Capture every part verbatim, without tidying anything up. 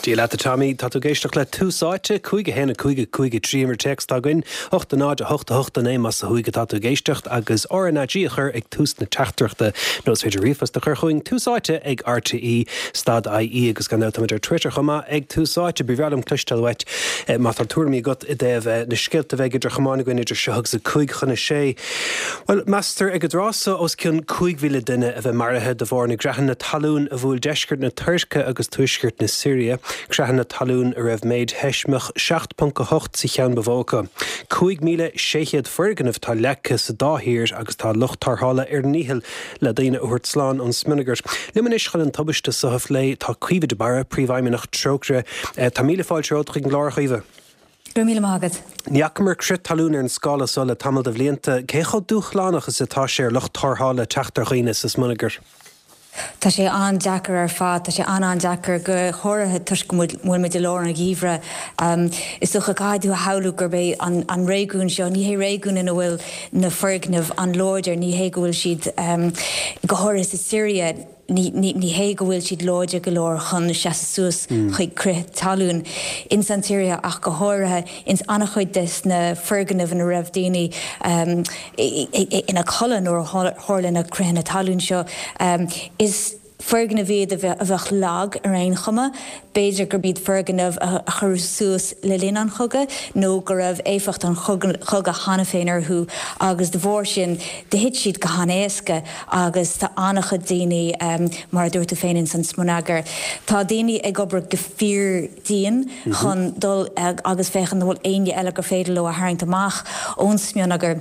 Dia leat a Tommy, tá tú ag éisteacht le Tús Áite, cúig a haon a cúig a cúig a trí mar téacs atá againn, ocht a náid a hocht a hocht a naoi más ó thuaidh atá tú ag éisteacht agus R N A G a chur ag tús na teachtaireachta nó is féidir ríomhphost a chur chugainn Tús Áite ag R T E stad I E agus gan dabht táimid ar Twitter chomh maith ag Tús Áite. Ba bhreá liom cloisteáil uait má tá tuairimí agat i dtaobh na scéalta a bheidh idir chamáin againn idir seo agus a cúig chun a sé. Well, meastar ag an dtráth seo os cionn cúig mhíle duine a bheith maraithe de bharr na gcreathanna talún a bhuail deisceart na Tuirce agus tuaisceart na Siria. Creathanna talún a raibh méid sheismeach seacht ponc a hocht sa cheann ba mhó acu. Cúig míle sé chéad foirgneamh atá leagtha sa dá thír agus tá lucht tarrthála ar a ndícheall le daoine a thabhairt slán ón smionagar. Liom anois chun an tubaiste seo a phlé tá Caoimhe de Barra, príomhfheidhmeannach Trócaire. Tá míle fáilte romhat chuig an gclár, a Chaoimhe. Go raibh míle maith agat. Ní fhacamar crith talún ar an scála seo le tamall de bhlianta, cé chomh dúshlánach is atá sé ar lucht tarrthála teacht ar dhaoine sa smionagar. Tá sé an-deacair ar fad, tá sé an-an-deacair go háirithe toisc go bhfuil muid i lár an gheimhridh. Um, is dócha caithfidh tú a shamhlú gurb é an, an réigiún seo, ní hé réigiún ina bhfuil na foirgnimh an-láidir, ní hé go bhfuil siad um, go háirithe sa Siria, ní, ní, ní hé go bhfuil siad láidir go leor chun seasamh suas mm. chuig crith talún. In san Siria ach go háirithe ins an-chuid des na foirgnimh ina raibh daoine um, ina gcodladh nuair a tharla na critheanna talún seo um, is foirgnimh iad a bheadh lag ar aon chuma, b'fhéidir gurb iad foirgnimh a cuireadh suas le linn an chogaidh nó go raibh éifeacht an chogaidh cheana féin orthu agus de bharr sin do thit siad go han-éasca agus tá an-chuid daoine um, mar a dúirt tú féin in san smionagar. Tá daoine ag obair go fíordhian mm -hmm. chun dul agus féachaint an bhfuil éinne eile gur féidir leo a tharraingt amach ón smionagar.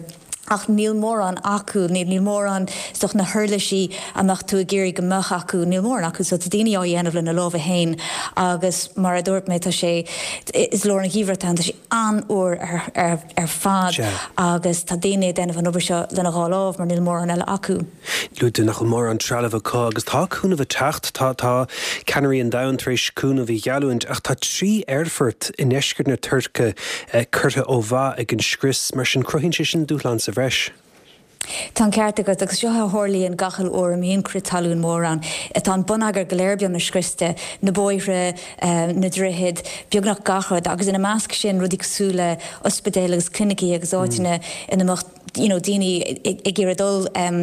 Ach níl mórán acu, níl níl mórán de na huirlisí a mbeadh tú ag iarraidh go mbeadh acu, níl mórán acu, so tá daoine á dhéanamh lena lámha féin agus mar a dúirt mé tá sé is lár an gheimhridh tá sé an-fhuar ar, ar, ar fad agus tá daoine ag déanamh an obair seo lena dhá lámh mar níl mórán eile acu. Luaigh tú nach bhfuil mórán trealamh acu agus tá cúnamh ag teacht tá tá ceannairí an domhain tar éis cúnamh a gheallúint ach tá trí aerfort i ndeisceart na Tuirce eh, curtha ó mhaith ag an scrios mar sin cruthaíonn sé sin dúshlán sa bhreis. Tá an ceart agat agus seo a tharlaíonn gach uair a mbíonn crith talún mór ann. Tá an bonneagar go léir beagnach scriosta, na bóithre, eh, na droichid, beagnach gach rud, agus ina measc sin rudaí cosúil le ospidéil agus clinicí agus áiteanna mm. ina mbeadh you know, daoine ag iarraidh dul um,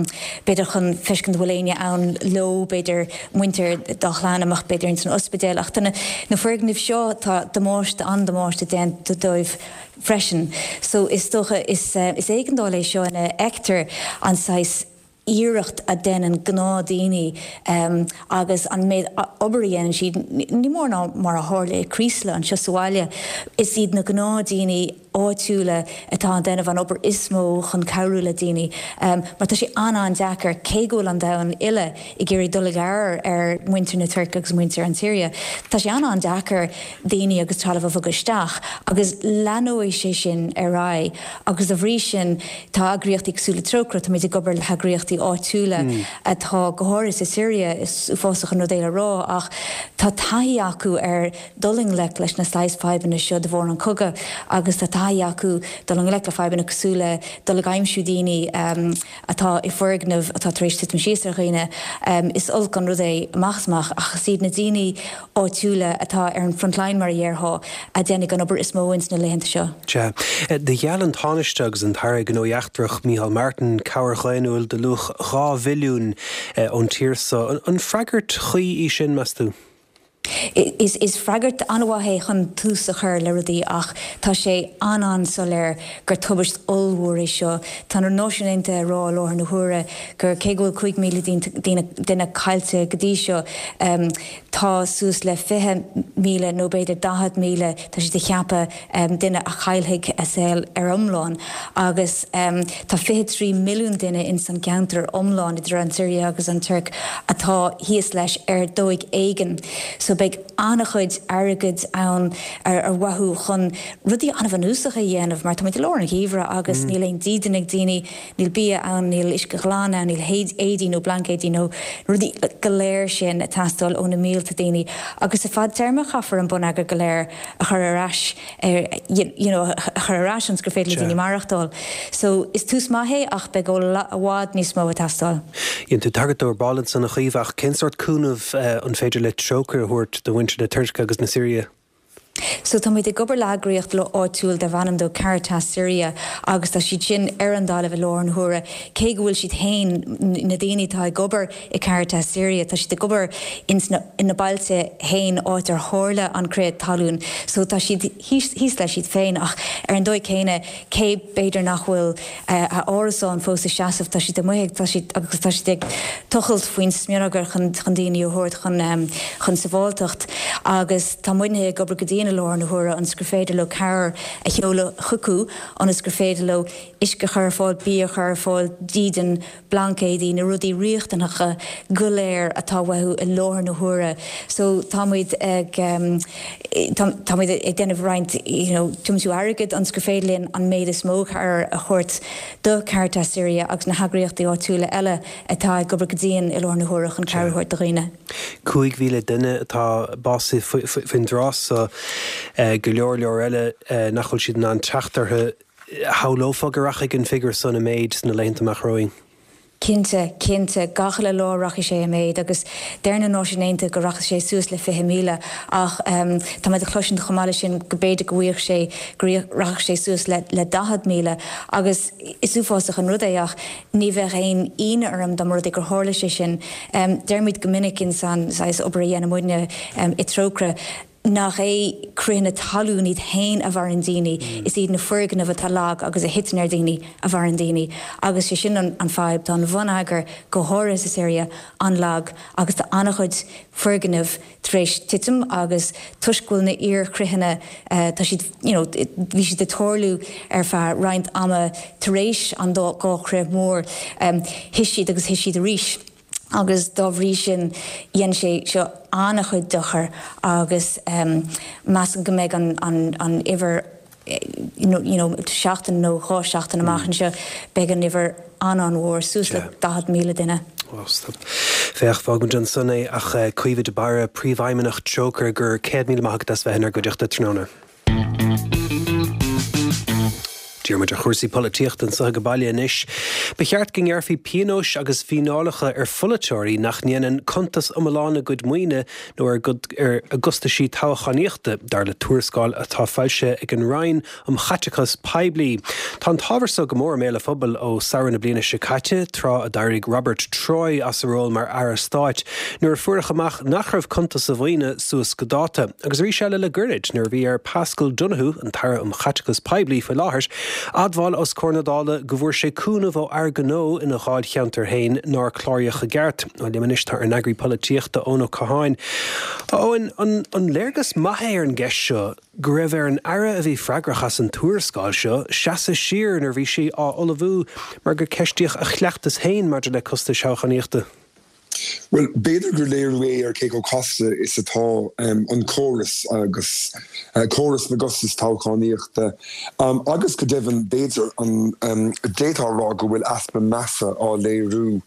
b'fhéidir chun feiscint bhfuil éinne ann leo b'fhéidir muintir dá chlann amach b'fhéidir in san ospidéal ach na, na foirgnimh seo tá damáiste an-damáiste déanta dóibh freisin. So is dócha is, uh, is éigeandáil é seo ina bhfeictear an saghas iarracht a dhéanann gnáthdhaoine um, agus an méid obair a dhéanann siad ní mór ná mar a tharla i Creeslough anseo sa bhaile. Is iad na gnáthdhaoine áitiúla atá ag déanamh an obair is mó chun cabhrú le daoine. Um, mar tá sé an-an-deacair cé go bhfuil an domhan uile ag iarraidh dul i gcabhair ar muintir na Tuirce agus muintir an tSiria. Tá sé an-an-deacair daoine agus trealamh a bhogadh isteach agus leanfaidh sé sin ar aghaidh agus dá bhrí sin tá eagraíochtaí cosúil le Trócaire tá ag obair le heagraíochtaí áitiúla mm. atá go háirithe sa Siria is uafásach an rud é le rá ach tá taithí acu ar dul i ngleic leis na saghas fadhbanna seo de bharr an chogaidh agus tá taithí acu dul i ngleic le fadhbanna cosúil le dul ag aimsiú daoine um, atá i bhfoirgnimh atá tar éis titim síos ar dhaoine um, is olc an rud é amach amach ach is iad na daoine áitiúla atá ar an frontline mar a déarfá a dhéanfaidh an obair is mó ins na laethanta seo. Sea, do gheall an Tánaiste agus an tAire Gnóthaí Eachtracha Micheál Martin cabhair dhaonnúil de luach dhá bhilliún ón tír seo. An freagairt chuí í sin meas tú? Is, is freagairt an-mhaith é chun tús a chur le rudaí ach tá sé an-an-soiléir gur tubaist ollmhór é seo. Tá na Náisiúin Aontaithe ag rá i láthair na huaire gur cé go bhfuil cúig míle duine caillte go dtí seo um, tá suas le fiche míle nó b'fhéidir daichead míle tá siad ag ceapadh um, duine a chaillfidh a saol ar iomlán agus um, tá fiche trí milliún duine in san ceantar iomlán idir an Siria agus an Tuirc atá thíos leis ar dóigh éigin. So beidh Beidh an-chuid airgid ann ar ar mhaithe chun rudaí an-bhunúsacha a dhéanamh mar táimid i lár an gheimhridh agus níl aon dídean ag daoine, níl bia ann, níl uisce glan ann, níl éadaí nó blaincéidí nó rudaí go léir sin ag teastáil ó na mílte daoine agus sa fadtéarma caithfear an bonneagar go léir a chur ar ais ar you know a chur ar ais ionas gur féidir le daoine maireachtáil. So is tús maith é ach beidh i bhfad níos mó ag teastáil. Dhein tú tagairt dó ar ball ansan a Chaoimhe ach cén sórt cúnamh an féidir le Trócaire a thabhairt do mhuintir na Tuirce agus na Siria? So táimid ag obair le heagraíocht áitiúil darb ainm dó Caritas Syria agus tá siad sin ar an dtalamh i láthair na huaire cé go bhfuil siad féin na daoine atá ag obair i Caritas Syria tá siad ag obair ins na ina bailte féin áit ar tharla an crith talún so tá siad thíos thíos leis iad féin ach ar an dóigh céanna cé b'fhéidir nach bhfuil a árasán fós ag seasamh tá siad amuigh tá siad agus tá siad ag tochailt faoin smionagar chun chun daoine a thabhairt chun chun sábháilteacht agus tá muidne ag obair go dian i láthair na huaire ionas gur féidir leo cabhair a sheoladh chucu ionas gur féidir leo uisce a chur ar fáil, bia a chur ar fáil, dídean, blaincéidí, na rudaí riachtanacha go léir atá uathu i láthair na huaire. So táimid ag táimid ag déanamh roinnt you know tiomsú airgid ionas gur féidir linn an méid is mó cabhair a thabhairt do Caritas Syria agus na heagraíochtaí áitiúla eile atá ag obair go dian i láthair na huaire chun cabhair a thabhairt do dhaoine. Cúig mhíle duine atá básaithe faoin dtráth so, go leor leor eile nach bhfuil siad in ann teacht orthu. Shamhlófá go rachaidh an figiúr san i méid sna laethanta amach romhainn? Cinnte, cinnte, gach uile lá rachaidh sé i méid agus deir na Náisiúin Aontaithe go rachaidh sé suas le fiche míle ach tá muid ag cloisint chomh maith leis sin go b'fhéidir go bhfuigheadh sé, go rachadh sé suas le le daichead míle agus is uafásach an rud é ach ní bheadh aon ionadh orm dá mba rud é gur tharla sé sin. Deirimid go minic ins an saghas obair a dhéanann muidne i Trócaire, nach é critheanna talún iad féin a mharaíonn daoine, is iad na foirgnimh atá lag agus a thiteann ar dhaoine a mharaíonn daoine. Agus sé sin an fadhb, tá an bhonneagar, go háirithe sa Siria, an-lag agus tá an-chuid foirgneamh tar éis titim agus toisc go bhfuil na iar-chritheanna, tá siad, you know, bhí siad ag tarlú ar feadh roinnt ama tar éis an dá chrith mhór, thit siad agus thit siad arís. agus dá bhrí sin dhein sé seo an-chuid dochair agus measaim go mbeidh an an uimhir you know seachtain nó dhá sheachtain amach anseo beidh an uimhir an-an-mhór, suas le daichead míle duine. Féach, fágfaimid ansan é ach Caoimhe de Barra, Príomhfheidhmeannach Trócaire, go raibh céad míle maith agat as bheith inár gcuideachta tráthnóna. Díreoidh muid ar chúrsaí polaitíochta anseo ag baile anois. Ba cheart go ngearrfaí pionóis agus fíneálacha ar pholaiteoirí nach ndéanann cuntas iomlán a gcuid maoine nó ar a gcostaisí toghchánaíochta, dar le tuarascáil atá foilsithe ag an Roinn um Chaiteachas Poiblí. Tá an t-ábhar seo go mór i mbéal an phobail ó samhradh na bliana seo caite, tráth a d'éirigh Robert Troy as a ról mar Aire Stáit nuair a fuaireadh amach nach raibh cuntas a mhaoine suas go dáta. Agus arís eile le goirid, nuair a bhí ar Paschal Donohoe, an tAire um Chaiteachas Poiblí faoi láthair, admháil os comhair na Dála go bhfuair sé cúnamh ó fhear gnó ina dháilcheantar féin nár cláraíodh i gceart. Bhuel, liom anois tá ár n-eagraí polaitíochta, Eoin Ó Catháin. A Eoin, an an léargas maith é ar an gceist seo go raibh ar an Aire a bhí freagrach as an tuarascáil seo seasamh siar nuair a bhí sí á ullmhú mar gur ceistíodh a chleachtas féin maidir le costais thoghchánaíochta? Bhuel, b'fhéidir gur léiriú é ar cé chomh casta is atá an córas agus córas na gcostas toghchánaíochta agus go deimhin b'fhéidir an d'fhéadfá a rá go bhfuil easpa measa á léiriú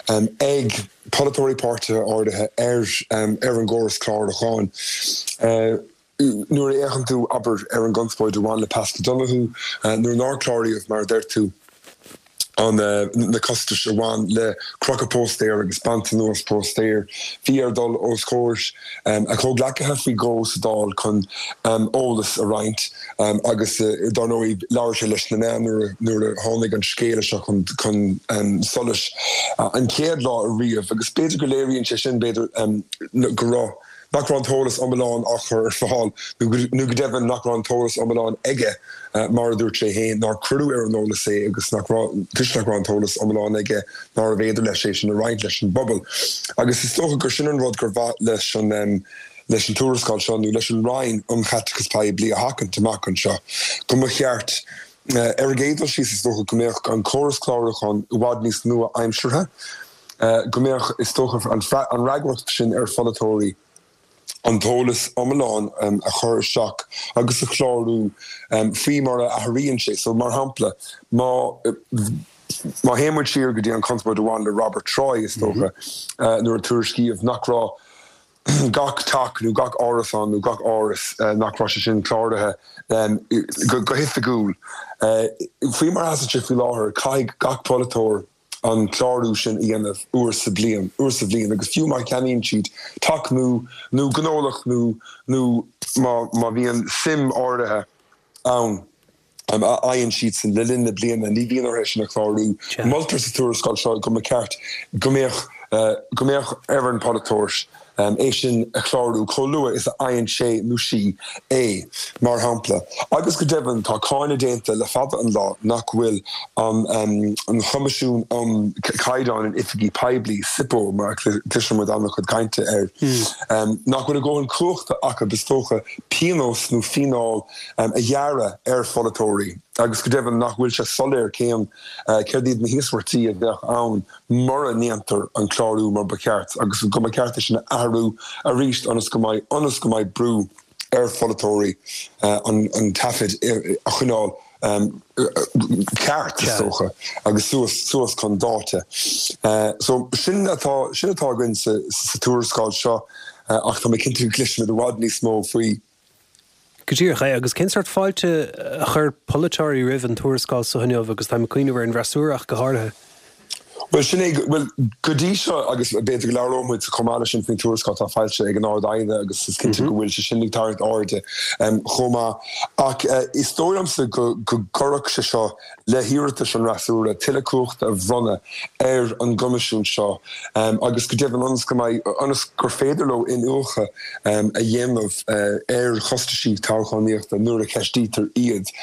ag polaiteoirí páirtithe áirithe ar ar an gcóras clárúcháin. Nuair a fhéachann tú, abair, ar an gconspóid a bhain le Paschal Donohoe, nuair nár cláraíodh, mar a deir tú, an na costais a bhain le crochadh póstaer agus baint anuas póstaer, bhí air dul os comhair a chomhghleacaithe faoi dhó sa Dáil chun eolas a roinnt agus, dar ndóigh, labhair sé leis na meáin nuair a tháinig an scéala seo chun solais an chéad lá ariamh agus b'fhéidir go léiríonn sé sin, b'fhéidir, go raibh. nach raibh an t-eolas iomlán á chur ar fáil, nó go deimhin nach raibh an t-eolas iomlán aige, mar a dúirt sé féin, nár cuireadh ar an eolas é agus nach raibh, toisc nach raibh an t-eolas iomlán aige, nárbh fhéidir leis é sin a roinnt leis an bpobal. Agus is dócha gur sin an rud gur mhaith leis an leis an tuarascáil seo, nó leis an Roinn um Chaiteachas Poiblí a sheachaint amach anseo, go mba cheart, ar an gcéad dul síos, is dócha, go mbeadh an córas clárúcháin i bhfad níos nua-aimseartha, go mbeadh, is dócha, an fhreagracht sin ar pholaiteoirí an t-eolas iomlán a chur isteach agus a chlárú faoi mar a athraíonn sé. So mar shampla, má má théann muid siar go dtí an conspóid a bhain le Robert Troy is dócha nuair a tuairiscíodh nach raibh gach teach nó gach árasán nó gach áras nach raibh sé sin cláraithe go hoifigiúil. Faoi mar atá sé faoi láthair, caithfidh gach polaiteoir an clárú sin a dhéanamh uair sa bhliain, uair sa bhliain, agus fiú má cheannaíonn siad teach nó nó gnólacht nó nó má má bhíonn suim áirithe ann a fhaigheann siadsan le linn na bliana, ní bhíonn orthu é sin a chlárú. Moltar sa tuarascáil seo go mba cheart go mbeadh go mbeadh ar an bpolaiteoir é sin a chlárú chomh luath is a fhaigheann sé nó sí é, mar shampla. Agus go deimhin, tá cáineadh déanta le fada an lá nach bhfuil an an Choimisiún um Caighdeáin in Oifigí Poiblí, SIPO mar a chloiseann muid an-chuid cainte air, nach bhfuil a dhóthain cumhachta acu, is dócha, pionós nó fíneáil a ghearradh ar pholaiteoirí agus go deimhin nach bhfuil sé soiléir cén céard iad na híosmhairtí a bheadh ann mura ndéantar an clárú mar ba cheart agus go mba cheart é sin a athrú arís ionas go mbeidh ionas go mbeidh brú ar pholaiteoirí an an taifead a choinneáil ceart, is dócha, agus suas suas chun dáta. So sin atá sin atá againn sa sa tuarascáil seo ach tá mé cinnte go gcloisfimid i bhfad níos mó faoi. Go díreach é. Agus cén sórt fáilte a chuir polaiteoirí roimh an tuarascáil seo inniu agus táim ag cuimhneamh ar an bhfreasúra ach go háirithe? Bhuel, sin é, bhuel, go dtí seo, agus b'fhéidir go labhróidh muid chomh maith leis sin faoin tuarascáil atá foilsithe ag an Ard-Aighne agus is cinnte go bhfuil sé sin ag tarraingt airde chomh maith. Ach is dóigh liomsa go gcuirfeadh sé seo le hiarratais an fhreasúra tuilleadh cumhachta a bhronnadh ar an gCoimisiún seo agus go deimhin ionas go mbeidh, ionas gur féidir leo iniúchadh a dhéanamh ar chostaisí toghchánaíochta nuair a cheistítear iad.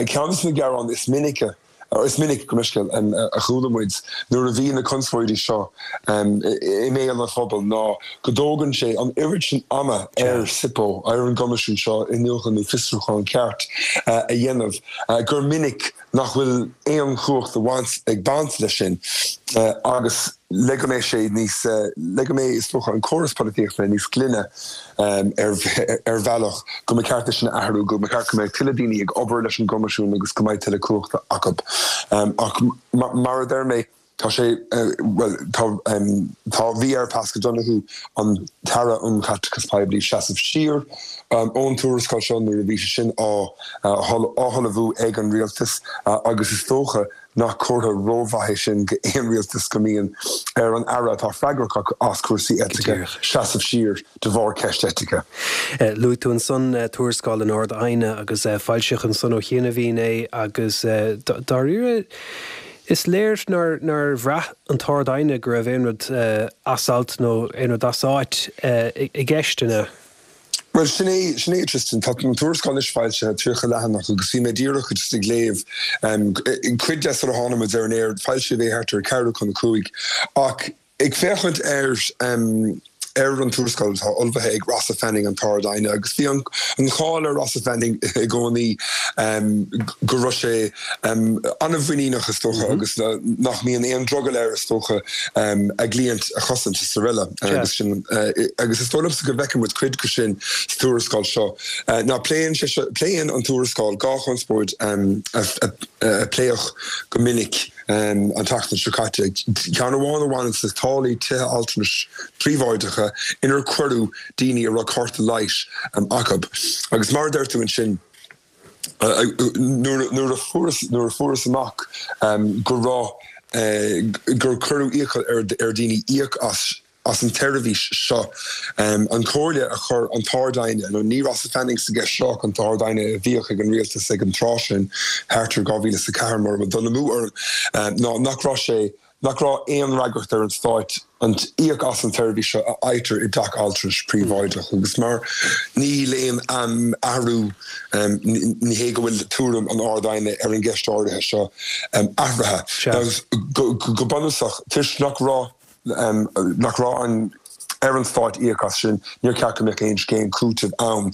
Ceann de na gearáin is minice, is minic, gabh mo leithscéal, a chuala muid nuair a bhí na conspóidí seo i mbéal an phobail ná go dtógann sé an oiread sin ama ar SIPO, ar an gCoimisiún seo, iniúchadh nó fiosrúchán ceart a dhéanamh gur minic nach bhfuil aon chumhacht a bhaint ag baint leis sin agus le go mbeidh sé níos, le go mbeidh, is dócha, an córas polaitíochta níos glaine ar ar bhealach, go mba cheart é sin a athrú, go mba cheart go mbeadh tuilleadh daoine ag obair leis an gCoimisiún agus go mbeidh tuilleadh cumhachta acu. Ach mar a deir mé, tá sé, bhuel, tá, tá, bhí ar Paschal Donohoe, an tAire um Chaiteachas Poiblí, seasamh siar ón tuarascáil seo nuair a bhí sé sin á hullmhú ag an rialtas agus is dócha nach comhartha rómhaith é sin go aon rialtas go mbíonn ar an aire atá freagrach as cúrsaí eitice seasamh siar de bharr ceist eitice. Luaigh tú ansan tuarascáil an Ard-Aighne agus foilsíodh ansan ó chianaibhín é agus dáiríre is léir nár nár bhraith an tArd-Aighne go raibh aon rud as alt nó aon rud as áit i gceist ina Bhuel, sin é, sin é, Tristan. Tá an tuarascáil anois foilsithe, tríocha leathanach, agus bhí mé díreach just ag léamh cuid de sula tháinig muid ar an aer. Foilsíodh é thart ar ceathrú chun a cúig. Ach ag féachaint ar ar an tuarascáil atá ullmhaithe ag Rossa Fanning, an tArd-Aighne, agus bhí an cháil ar Rossa Fanning i gcónaí go raibh sé an-mhuiníneach, is dócha, agus nach mbíonn aon drogall air, is dócha, a gcliaint a chosaint is araile. Agus sin, agus is dóigh liomsa go bhfeiceann muid cuid de sin sa tuarascáil seo. Now pléann sé seo, pléann an tuarascáil dhá chonspóid a pléadh go minic an tseachtain seo caite, ceann amháin a bhaineann le táillí tithe altranais príobháideacha inar cuireadh daoine a raibh cárta leighis acu. Agus mar a deir tú ansin, nuair a fuarthas nuair a fuarthas amach go raibh gur cuireadh iachall ar dhaoine íoc as as an tseirbhís seo, an chomhairle a chuir an tArd-Aighne, nó ní Rossa Fanning sa gceist seo ach an tArd-Aighne a bhíodh ag an rialtas ag an tráth sin, thart ar dhá mhíle is a ceathair mura bhfuil dul amú orm, ná nach raibh sé nach raibh aon fhreagracht ar an Stát an íoc as an tseirbhís seo a fhaightear i dteach altranais príobháideach agus mar níl aon athrú, ní hé go bhfuil tuairim an Ard-Aighne ar an gceist áirithe seo athraithe. Go bunúsach, toisc nach raibh nach raibh an ar an stát íoc as sin, níor cheart go mbeadh aon scéim cúitimh ann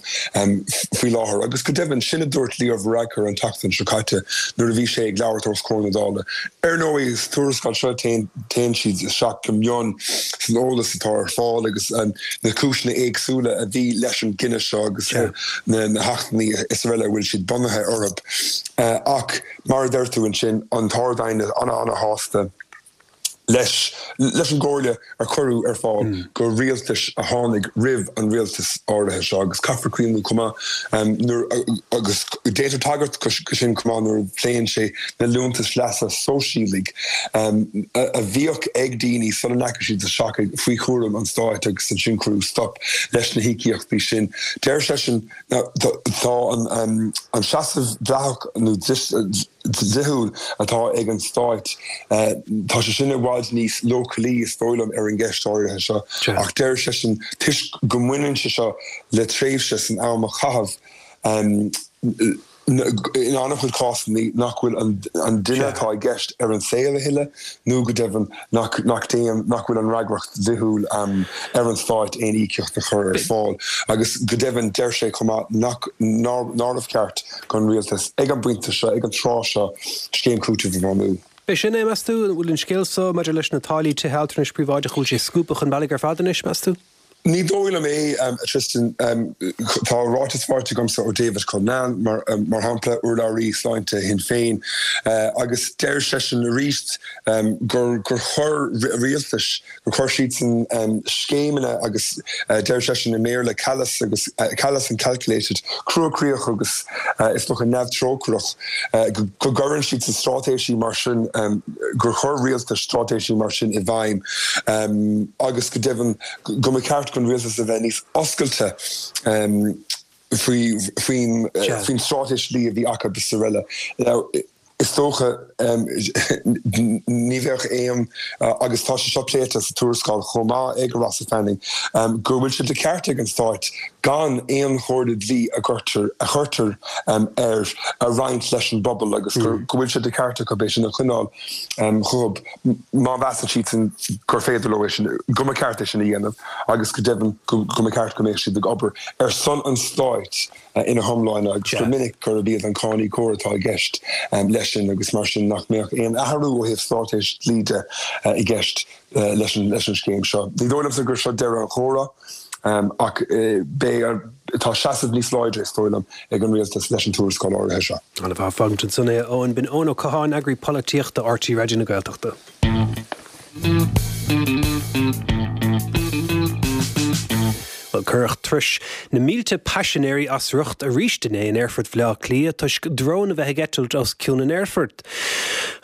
faoi láthair. Agus go deimhin, sin a dúirt Leo Varadkar an tseachtain seo caite nuair a bhí sé ag labhairt os comhair na Dála. Ar ndóigh, sa tuarascáil seo téann siad isteach go mion san eolas atá ar fáil agus na cúiseanna éagsúla a bhí leis an gcinneadh seo agus na hachtanna is araile a bhfuil siad bunaithe orthu. Ach mar a deir tú ansin, an tArd-Aighne an-an-shásta leis leis an gcomhairle a cuireadh ar fáil go rialtais a tháinig roimh an rialtas áirithe seo agus caithfear cuimhniú chomh maith nuair agus déantar tagairt go sin chomh maith nuair a phléann sé na liúntais leasa sóisialaigh a bhíodh ag daoine sula ndeachaigh siad isteach faoi chúram an stáit agus ansin cuireadh stop leis na híocaíochtaí sin. Deir seisean tá an seasamh dleathach nó dlíthiúil atá ag an Stát, tá sé sin i bhfad níos leochailí, is dóigh liom, ar an gceist áirithe seo. Ach deir seisean, toisc go mbaineann sé seo le tréimhse san am a caitheadh, in an-chuid cásanna nach bhfuil an duine atá i gceist ar an saol a thuilleadh nó go deimhin nach nach bhfuil an fhreagracht dhlíthiúil ar an Stát aon íocaíocht a chur ar fáil. Agus go deimhin deir sé chomh maith nach nárbh cheart don rialtas ag an bpointe seo, ag an tráth seo, scéim cúitimh a bhunú. B'é sin é, meas tú? An bhfuil an scéal seo maidir leis na táillí tithe altranais príobháideacha, an bhfuil sé scuabtha chun bealaigh ar fad anois, meas tú? Ní dóigh liom é, a Tristan. Tá ráiteas faighte agamsa ó David Cullinane, mar shampla, urlabhraí sláinte Shinn Féin, agus deir seisean arís gur chuir rialtais, gur chuir siadsan scéimeanna agus deir seisean i mBéarla callous agus callous and calculated, cruachroíoch agus is dócha neamhthrócaireach, go gcuireann siadsan straitéisí mar sin, gur chuir rialtais straitéisí mar sin i bhfeidhm agus go deimhin go mba cheart don rialtas a bheith níos oscailte faoi faoin straitéis dlí a bhí acu is araile. Now, is dócha, ní bheadh aon, agus tá sé seo pléite sa tuarascáil chomh maith ag Rossa Fanning, go bhfuil sé de cheart ag an Stát gan aon chomhairle dlí a gcuirtear, a chuirtear air a roinnt leis an bpobal agus go bhfuil sé de cheart acu é sin a choinneáil chucu. Má mheasann siadsan gur féidir leo é sin, go mba cheart é sin a dhéanamh agus go deimhin go mba cheart go mbeadh siad ag obair ar son an stáit ina hiomláine agus gur minic gurb iad an cáiníocóir atá i gceist leis sin agus mar sin nach mbeadh aon athrú ó thaobh straitéis dlí de i gceist leis an scéim seo. Ní dóigh liomsa gur seo deireadh an chomhrá. Ach beidh, tá seasamh níos láidre, is dóigh liom, ag an rialtas leis an tuarascáil áirithe seo. Ana-mhaith, fágfaimid ansan é, a Eoin. B'in Eoin Ó Catháin, eagraí polaitíochta R T Raidió na Gaeltachta. Bhuel, cuireadh turais na mílte paisinéirí as riocht arís inné in Aerfort Bhaile Átha Cliath toisc drón a bheith ag eitilt os cionn an aerfoirt.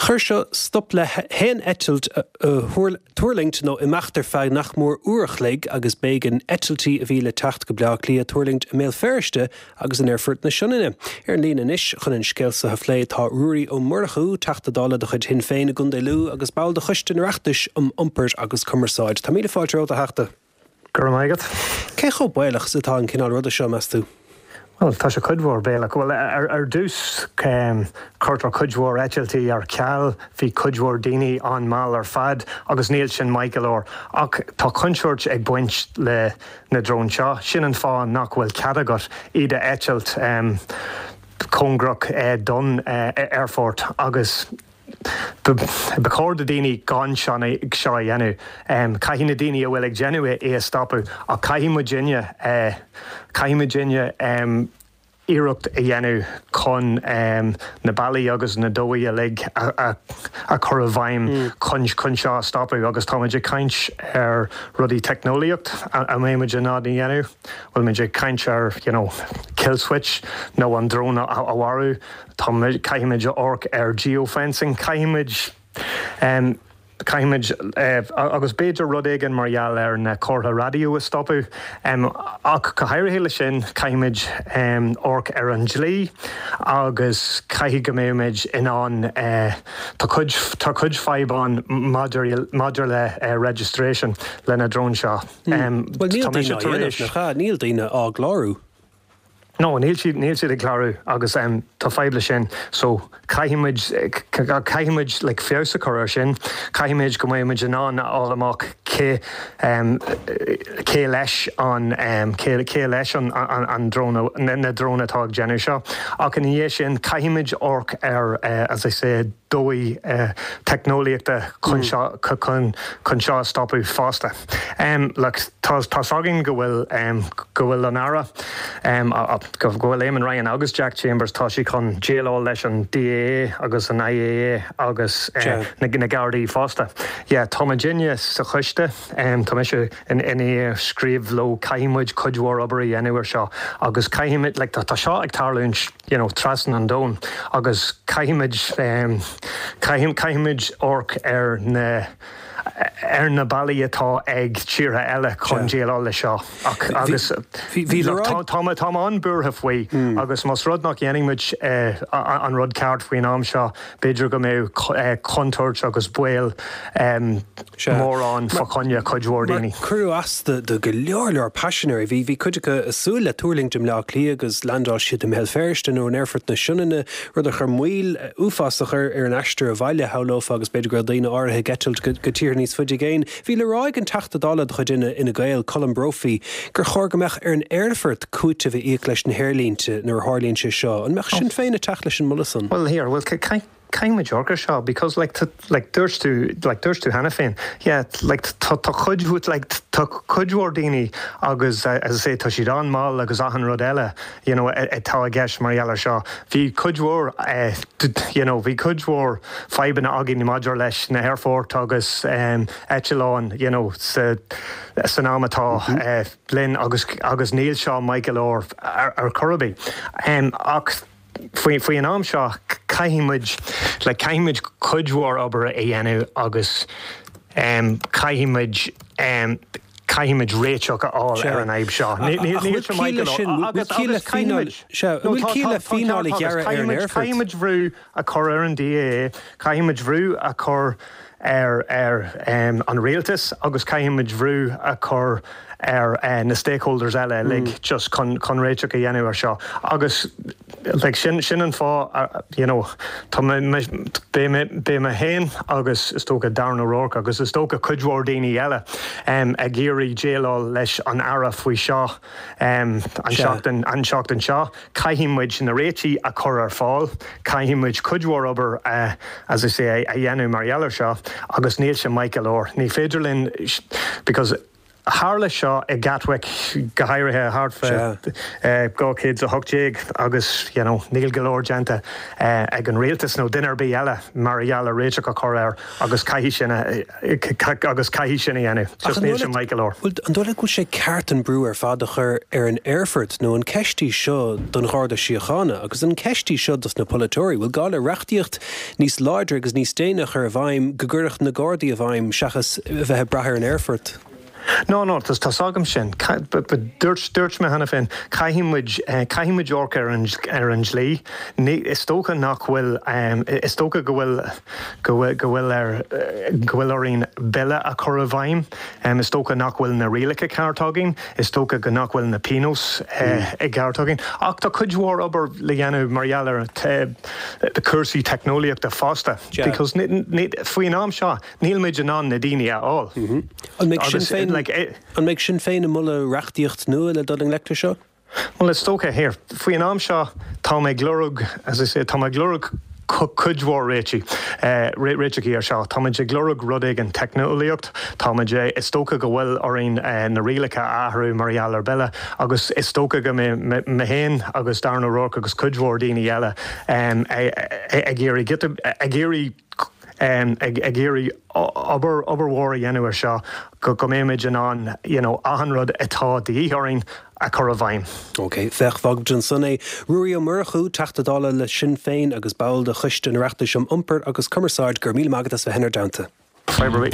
Chuir seo stop le haon eitilt a tuirlingt nó imeacht ar feadh nach mór uair a chloig agus b'éigean eitiltí a bhí le teacht go Bleá Cliath tuirlingt i mBéal Feirste agus in Aerfort na Sionainne. Ar an líne anois chun an scéal seo a phlé tá Ruairí Ó Murchú, Teachta Dála de chuid Shinn Féin i gContae Lú agus ball de Choiste an Oireachtais um Iompar agus Cumarsáid. Tá míle fáilte romhat, a Theachta. Go raibh maith agat. Cé chomh baolach is atá an cineál ruda seo, meas tú? Bhuel, tá sé cuid mhór baolach. Bhuel, ar, ar dtús, cuirtear cuid mhór eitiltí ar ceal, bhí cuid mhór daoine an-mhall ar fad agus níl sin maith go leor. Ach tá contúirt ag baint le na dróin seo. Sin an fáth nach bhfuil cead agat iad a eitilt cóngarach don aerfort agus Ba chóir do daoine gan seo a dhéanamh. Caithfidh na daoine a bhfuil ag déanamh é é a stopadh ach caithfidh muidinne, caithfidh muidinne iarracht a dhéanamh chun na bealaí agus na dóigh uilig a chur i bhfeidhm chun chun seo a stopadh agus tá muid ag caint ar rudaí teicneolaíocht a mbeidh muid in ann a dhéanamh, bhfuil muid ag caint ar you know kill switch nó an drón a mharú. Tá muid, caithfimid amharc ar geofencing, caithfimid, caithfimid, agus b'fhéidir rud éigin mar gheall ar na comhartha raidió a stopadh. Ach go háirithe leis sin, caithfimid amharc ar an dlí agus caithfidh go mbeimid in ann, tá cuid, tá cuid fadhb ann maidir, maidir le registration le na dróin seo. Bhuel níl daoine á dhéanamh, nach ea? Níl daoine á gclárú. No, níl siad, níl siad ag clárú agus tá fadhb leis sin. So, caithfidh muid, caithfidh muid like feabhas a chur ar sin. Caithfidh muid go mbeidh muid in ann a fháil amach cé cé leis an cé cé leis an an drón na drón atá ag déanamh seo. Ach ina dhiaidh sin caithfimid amharc ar as I say dóigh teicneolaíochta chun seo chun chun seo a stopadh fosta. Um, like, tá tá againn go bhfuil um, go bhfuil an Aire um, go bhfuil Eamon Ryan agus Jack Chambers tá siad chun déileáil leis an DAA agus an IAA agus uh, na, na Gardaí fosta. Yeah, tá muidinne sa choiste um, tá mise in ina scríobh leo caithfimid cuid mhór obair a dhéanamh ar seo agus caithfimid like, tá seo ag tarlúint you know, trasna an domhain agus caithfimid um, caithfimid amharc ar na ar na bealaí atá ag tíortha eile chun déileáil le seo ach agus tá tá an-bhuartha faoi hmm. agus más rud nach ndéanaimid eh, an rud ceart faoin am seo b'fhéidir go mbeidh eh, contúirt agus baol mór ann fá choinne cuid mhór daoine. Cuireadh as do go leor leor paisinéirí bhí bhí cuid acu ag súil le tuirlingt i mBleá Cliath agus landáil siad i mBéal Feirste nó in Aerfort na Sionainne rud a chuir moill uafásach ar ar an aistear abhaile shamhlófá agus b'fhéidir go raibh daoine áirithe ag eitilt go tíortha níos faide i gcéin. Bhí le rá ag an Teachta Dála de chuid Fhine Gael Colm Brophy gur chóir go mbeadh ar an aerfort cúiteamh a íoc leis na haerlínte nuair a tharlaíonn sé seo. An mbeadh Sinn Féin ag teacht leis an moladh san? Well here, well caithfimid amharc ar seo because like like dúirt tú like dúirt tú cheana féin yeah like tá tá cuid like tá cuid mhór daoine agus uh, as I say tá siad an-mhall agus achan rud eile you know atá i gceist mar gheall air seo bhí cuid mhór uh, you know bhí cuid mhór fadhbanna againn maidir leis na haerfoirt agus um, eitleáin you know sa san am atá mm -hmm. uh, linn agus agus níl seo maith go leor ar, ar chor ar bith um, ach faoi faoi an am seo caithfimid le caithfimid cuid mhór obair a dhéanamh agus um, caithfimid um, caithfimid réiteach a fháil ar an fhadhb seo. Caithfimid brú a chur ar an DAA, caithfimid brú a chur ar ar um, an rialtas agus caithfimid brú a chur ar uh, na stakeholders eile mm. like, just chun chun réiteach a dhéanamh ar seo. Agus like, sin sin an fáth uh, you know, tá beidh mé féin agus is dócha Darren O'Rourke agus is dócha cuid mhór daoine eile um, ag iarraidh déileáil leis an Aire faoi seo um, an seachtain an seachtain seo. Caithfimid na réitigh a chur ar fáil, caithfimid cuid mhór obair uh, as I say a dhéanamh mar gheall air seo agus níl sé maith go leor. Ní féidir linn because tharla seo i Gatwick go háirithe thart fá dhá chéad a hocht déag agus you know, níl go leor déanta uh, ag an rialtas nó duine ar bith eile mar gheall ar réiteach a chur air agus caithfidh sin agus caithfidh sin a dhéanamh. Just níl sé maith go leor. An dóigh leat go bhfuil sé ceart an brú ar fad a chur ar an aerfort nó an ceist í seo don Gharda Síochána agus an ceist í seo dos na polaiteoirí, bhfuil gá le reachtaíocht níos láidre agus níos déine a chur i bhfeidhm go gcuirfeadh na Gardaí i bhfeidhm seachas bheith ag brath ar an aerfort. No no tá tá agam sin dúirt dúirt mé cheana féin caithfimid eh, caithfimid amharc ar an ar an dlí is dócha nach bhfuil um, is dócha go bhfuil go bhfuil go bhfuil ar go bhfuil orainn bille a chur i bhfeidhm um, is dócha nach bhfuil na rialacha ceart againn is dócha go nach bhfuil na pionóis uh, mm. ceart againn ach tá cuid mhór obair le dhéanamh mar gheall ar cúrsaí teicneolaíochta fosta because faoin am seo níl muid in ann na daoine a fháil. Mm -hmm. An mbeidh Sinn Féin like, an mbeidh Sinn Féin ag moladh reachtaíocht nua le dul i ngleic leis seo? Well is dócha here faoin am seo tá mé ag lorg as I say tá mé ag lorg cuid mhór réitigh uh, réitigh ar seo Tá ag lorg rud éigin teicneolaíocht Tá is dócha go bhfuil orainn uh, na rialacha a athrú mar gheall ar bille agus is dócha go mé féin agus Darren O'Rourke agus cuid mhór daoine eile um, ag iarraidh ag iarraidh um, ag iarraidh obair obair mhór a dhéanamh ar seo go go mbeimid in ann you know, achan rud atá de dhíth orainn a chur i bhfeidhm. Ok, féach fágfaimid ansan é Ruairí Ó Murchú Teachta Dála le Sinn Féin agus ball de Choiste an Oireachtais um Iompar agus Cumarsáid go raibh míle maith agat as bheith inár dteannta. Fadhb.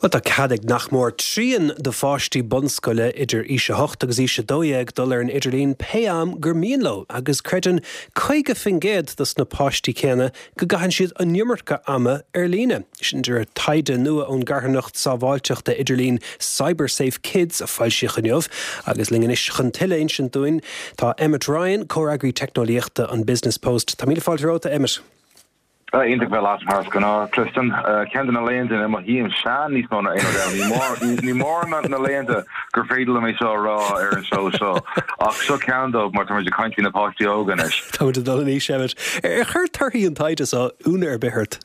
Well tá cead ag nach mór trian de pháistí bunscoile idir aois a hocht agus aois a dó dhéag dul ar an idirlíon pé am gur mian leo agus creideann caoga faoin gcéad dos na páistí céanna go gcaitheann siad an iomarca ama ar líne. Sin de réir taighde nua ón gcarthanacht sábháilteachta idirlín CyberSafe Kids a foilsíodh inniu agus linn anois chun tuilleadh a insint dúinn tá Emmet Ryan, comhfhreagraí teicneolaíochta an Business Post. Tá míle fáilte romhat Emmet. Iontach bheith leat mar is gnáth, Tristan. Ceann de na laethanta ina mothaím sean níos mó ná aon rud eile. Ní mór na laethanta gur féidir liom é seo a rá ar an seó seo, ach seo ceann dóibh mar táimid ag caint faoi na páistí óga anois. Táimid ag dul in aois, Emmet. Ar chuir torthaí an taighde seo ionadh ar bith ort?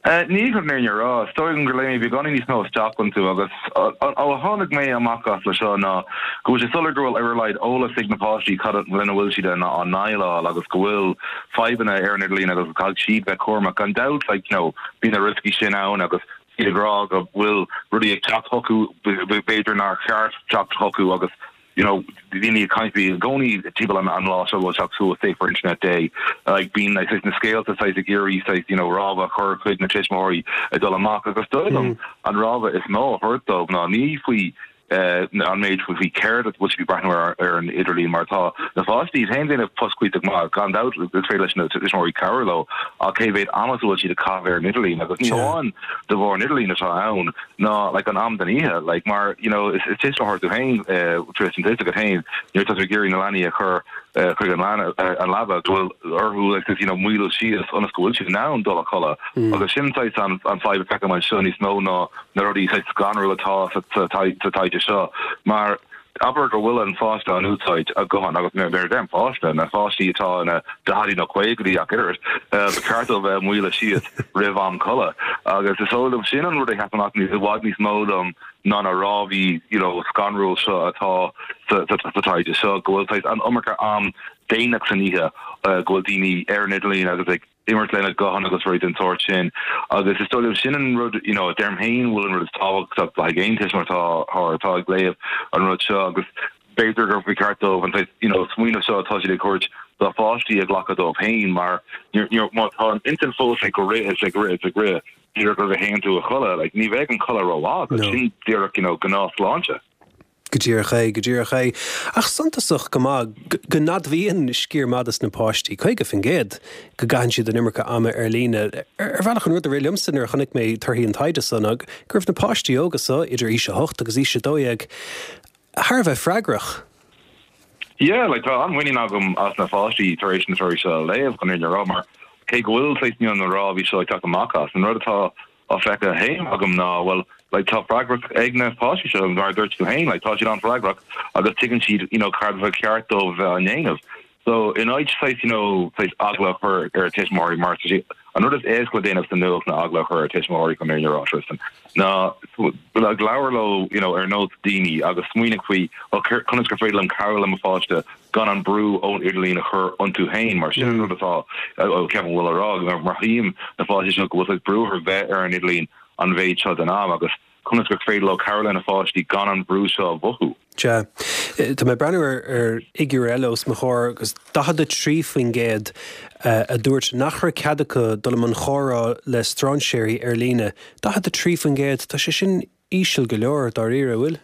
Ní chun an fhírinne a rá, is dóigh liom gur léigh mé beagáinín níos mó isteach iontu agus ó a tháinig mé amach as le seo ná go bhfuil sé soiléir go bhfuil ar a laghad eolas ag na páistí cad lena bhfuil siad á ndéileáil agus go bhfuil fadhbanna ar an idirlíon agus go gcaithfidh siad bheith cúramach. Gan dabht, like, you know, bíonn na rioscaí sin ann agus iad ag rá go bhfuil rudaí ag teacht chucu b'fhéidir nár cheart teacht chucu agus you know, daoine ag caint faoi i gcónaí timpeall an an lá seo bhfuil teacht suas Safer Internet Day like bíonn like saghas na scéalta saghas ag iarraidh saghas you know rabhadh a chur chuig na tuismitheoirí ag dul amach agus dóigh liom an rabhadh is mó a thabhairt dóibh ná ní faoi an méid faoi céard a bhfuil siad ag breathnú ar ar an idirlíon mar tá na páistí féin ag déanamh post cuíosach maith gan dabht is féidir leis na tuismitheoirí cabhrú leo ach cé mhéad ama a bhfuil siad ag caitheamh ar an idirlíon agus ní hamháin de bharr an idirlíon atá ann ná like an am den oíche like mar you know is is tuismitheoir tú féin Tristan tá a fhios agat féin nuair atá tú ag iarraidh na leanaí a chur chuig an an leaba go bhfuil orthu like you know maolú síos ionas go bhfuil siad in ann dul a chodladh agus sin saghas an an fadhb a feicim anseo níos mó ná na rudaí saghas scanrúil atá sa sa sa taighde seo mar abair go bhfuil an pháiste in úsáid a guthán agus nuair a deirim páiste, na páistí atá ina daichidí nó caogaidí ach oiread, ba cheart dóibh bheith maolaithe síos roimh am codladh. Agus is dóigh liom sin an rud a sheas amach i bhfad níos mó dom ná na rabhaidh you know scanrúil seo atá sa sa taighde seo, go bhfuil saghas an iomarca am déanach san oíche go bhfuil daoine ar an idirlíon agus ag imirt lena guthán agus rudaí den tsórt sin agus is dóigh liom sin an rud you know deirim féin bhfuil an rud is tábhachtach le haghaidh aon tuismitheoir atá atá ag léamh an rud seo agus b'fhéidir gur ba cheart dóibh an you know smaoineamh seo atá siad ag thabhairt dá pháistí a ghlacadh dóibh féin mar má tá an intinn fós ag rith is ag rith is ag rith díreach roimh a théann tú a chodladh like ní bheidh an codladh rómhaith agat sin díreach you know gnáthshláinte. Go díreach é, go díreach é. Ach suntasach go maith go n-admhaíonn sciar maith des na páistí, caoga faoin gcéad, go gcaitheann siad an iomarca ama ar líne. Ar bhealach an rud a rith liomsa nuair a chonaic mé torthaí an taighde so ná go raibh na páistí óga so, idir aois a hocht agus aois a dó dhéag, thar a bheith freagrach. Yeah, like tá an-mhuinín agam as na páistí tar éis na torthaí seo a léamh, chun an fhírinne a rá, mar cé go bhfuil saghas you know na rabhaidh seo ag teacht amach as, an rud atá á feiceáil féin agam ná, bhuel, like tá freagracht ag na páistí seo, mar a dúirt tú féin, like tá siad an-fhreagrach agus tuigeann siad, you know, cad ba cheart dóibh bheith á ndéanamh. So in áit saghas, you know, saghas eagla a chur ar tuismitheoirí mar tá sé an rud is éasca le déanamh sa nuacht ná eagla a chur ar tuismitheoirí chun an fhírinne a rá, Tristan, ná like labhair leo, you know, ar nós daoine agus smaoinigh faoi, well, conas gur féidir liom cabhrú le mo pháiste gan an brú ón idirlíon a chur iontu féin mar sin an rud atá ceapaim bhfuil á rá mar mothaím na páistí seo go bhfuil saghas brú orthu bheith ar an idirlíon an mhéid seo den am agus conas gur féidir leo cabhrú lena pháistí gan an brú seo a mhothú. Sea. Tá mé ag breathnú ar ar fhigiúr eile os mo chomhair agus daichead a trí faoin gcéad a dúirt nach raibh cead acu dul i mbun chomhrá le strainséirí ar líne. Daichead a trí faoin gcéad, tá sé sin íseal go leor, dáiríre, an bhfuil?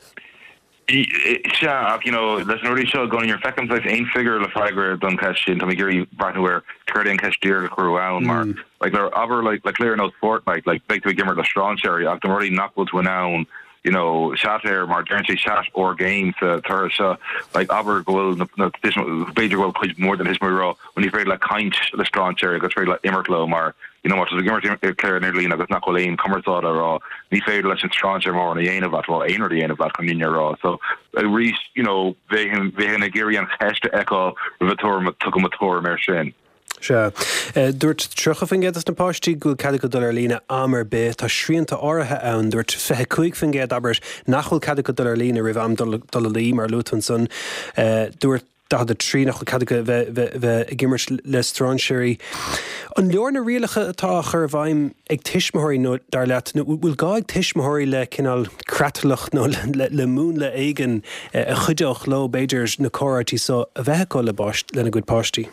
Sea, ach you know, leis na rudaí seo i gcónaí nuair a feicim saghas aon figiúr le freagra don cheist sin, tá mé ag iarraidh breathnú ar céard é an cheist díreach a cuireadh ann mar like le abair like le cluiche ar nós Fortnite like beidh tú ag imirt le strainséirí ach na rudaí nach bhfuil tú in ann you know chat air mar deireann sé chat or game sa toradh seo like abair go bhfuil na na b'fhéidir go bhfuil cuid mhór den thuismitheoirí ag rá well ní féidir le caint le strainséirí agus féidir le imirt leo mar you know má tá tú ag imirt cluiche ar an idirlíon agus nach bhfuil aon cumarsáid á rá ní féidir leis an strainséir mórán a dhéanamh leat bhuel aon rud a dhéanamh leat chun an fhírinne a rá so arís you know bheinn bheinn ag iarraidh an cheist a fheiceáil roimh a tuairim tugaim mo tuairim air sin. Sea. Dúirt tríocha faoin gcéad des na páistí go bhfuil cead acu dul ar líne am ar bith. Tá srianta áirithe ann. Dúirt fiche cúig faoin gcéad, abair, nach bhfuil cead acu dul ar líne roimh am dul dul a luí, mar a luaigh tú ansan. Dúirt daichead a trí nach bhfuil cead acu bheith bheith ag imirt le strainséirí. An leor na rialacha atá á chur i bhfeidhm ag tuismitheoirí nó dar leat, nó bhfuil gá ag tuismitheoirí le cineál creatlach nó le le múnla éigin a chuideodh leo b'fhéidir na comhráití so a bheith acu le lena gcuid páistí?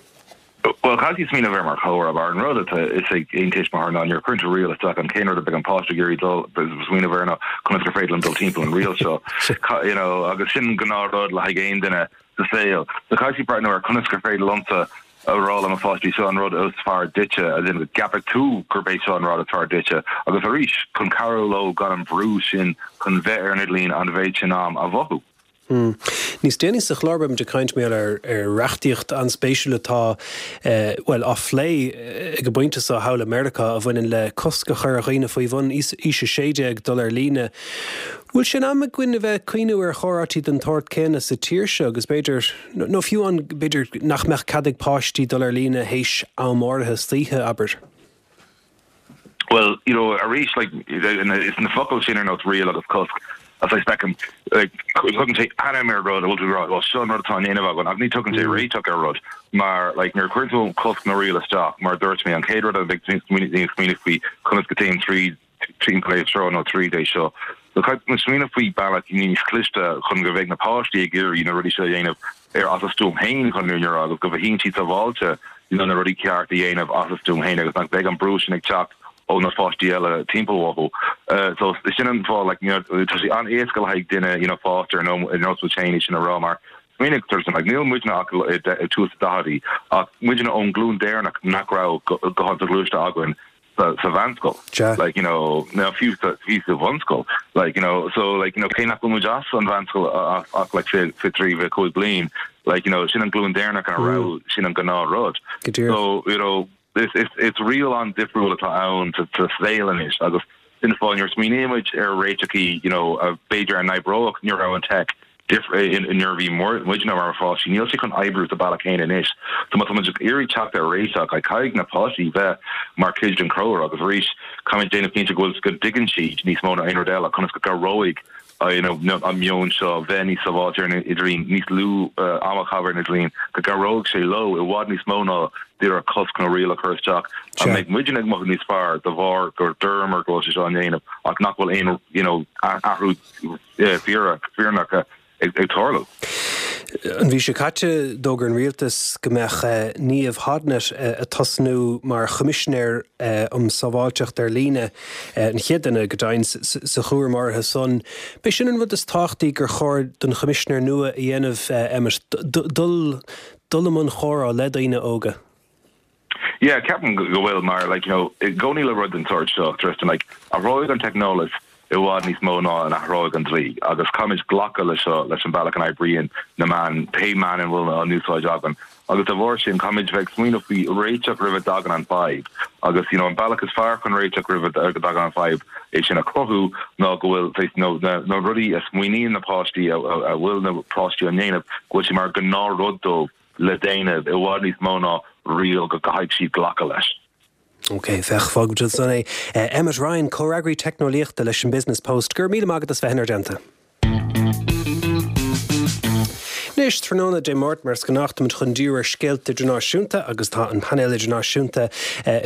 Bhuel, caithfidh smaoineamh air mar chomhrá, mar an rud atá fhios ag aon tuismitheoir ná nuair a chuireann tú riail isteach an chéad rud a bheidh an páiste ag iarraidh dul smaoineamh air ná conas gur féidir liom dul timpeall an riail seo, you know, agus sin gnáthrud le haghaidh aon duine sa saol. So caithfidh breathnú ar conas gur féidir liomsa a rá le mo pháistí seo an rud is fearr duitse, as in go gceapfaidh tú gurb é seo an rud is fearr duitse, agus arís chun cabhrú leo gan an brú sin chun bheith ar an idirlíon an mhéid sin am a mhothú. Hmm. Níos déanaí sa chlár beimid ag caint mar ar ar reachtaíocht an-spéisiúil atá bhuel á phlé ag an bpointe seo thall i Meiriceá a bhaineann le cosc a chur ar dhaoine faoi bhun aois a sé déag dul ar líne. Bhfuil sé in am againn a bheith ag cuimhniú ar chomhráití den tsórt céanna sa tír seo agus b'fhéidir, nó fiú an b'fhéidir nach mbeadh cead ag páistí dul ar líne théis am áirithe istoíche, abair? Well, you know, arís, like, is na focail sin ar nós riail agus cosc, as I feicim, like, tugann sé ainm ar rud a bhfuil tú rá, well, seo an rud atá á ndéanamh againn, ach ní tugann sé réiteach ar rud, mar, like, nuair a chuireann tú cosc nó riail isteach, mar a dúirt mé, an chéad rud a bheidh daoine ag smaoineamh faoi conas go dtéim tríd timpeall é seo nó tríd é seo. So caithfidh muid smaoineamh faoi bealach níos cliste chun go mbeidh na páistí ag iarraidh na rudaí seo a dhéanamh ar as a stuaim féin chun an fhírinne a rá agus go mothaíonn siad sábháilte you know, na rudaí ceart a dhéanamh as a stuaim féin agus nach mbeidh an brú sin ag teacht ó na pháistí eile timpeall uathu. Uh, so sin an fáth like, you know, tá sé an-éasca le haghaidh duine you know, fásta ar nós muid féin é sin a rá mar smaoinigh Tristan, like, níl muidne ach i tús na daicheadaí ach muidne ón nglúin deireanach nach raibh guthán soghluaiste againn sa sa mheánscoil. Like, you know, nó fiú sa fiú sa bhunscoil. Like, you know, so like, you know, cé nach bhfuil muid as an mheánscoil ach ach like fiche fiche trí fiche cúig bliain, like, you know, sin an glúin deireanach a raibh sin an gnáthrud. So, you know, is is is riail an-difriúil atá ann sa sa saol anois agus sin an fáth nuair a smaoinímid ar réiteachaí, you know, a b'fhéidir a n-oibreodh nuair a raibh an tech nuair a bhí muidne mar pháistí, níl sé chun oibriú sa bealach céanna anois. So má tá muid ag iarraidh teacht ar réiteach, caithfidh na páistí bheith mar chuid den chomhrá agus arís caithfimid déanamh cinnte go bhfuil go dtuigeann siad níos mó ná aon rud eile conas go gcabhróidh you know, an meon seo bheith níos sábháilte ar an idirlíon, níos lú am a chaitheamh ar an idirlíon, go gcabhróidh sé leo i bhfad níos mó ná díreach cosc nó riail a chur isteach. An mbeidh muidne ag mothú níos fearr de bharr gur dúramar go bhfuil sé seo á ndéanamh ach nach bhfuil aon you know, athrú fírinneach ag tarlú. An mhí seo caite, d'fhógair an rialtas go mbeadh Niamh Hodnett ag tosnú mar Choimisinéir um Sábháilteacht ar Líne, an chéad duine go deimhin sa chúram áirithe san. B'é sin an rud is tábhachtaí gur chóir don Choimisinéir nua a dhéanamh, Emmet, dul dul i mbun chomhrá le daoine óga. Yeah, ceapaim go bhfuil mar like, you know, i gcónaí le rud den sórt seo, Tristan, like, athróidh an teicneolaíocht i bhfad níos mó ná a n-athróidh an dlí agus caithfimid glacadh leis seo leis an bealach a n-oibríonn na meáin, pé meáin a bhfuil á n-úsáid againn. Agus dá bharr sin, caithfimid bheith ag smaoineamh faoi réiteach roimh a dtagann an fadhb. Agus you know, an bealach is fearr chun réiteach roimh a dtagann an fadhb é sin a chruthú ná go bhfuil saghas nó na na rudaí a smaoiníonn na páistí a a bhfuil na páistí á ndéanamh go bhfuil sé mar ghnáthrud dóibh le déanamh i bhfad níos mó ná riail go gcaithfidh siad glacadh leis. Ok, féach, fágfaimid ansan é. Emmet Ryan, comhfhreagraí teicneolaíochta leis an Business Post, go raibh míle maith agat as bheith inár dteannta. Anois, tráthnóna Dé Máirt, mar is gnách, táimid chun díriú ar scéalta idirnáisiúnta agus tá an painéal idirnáisiúnta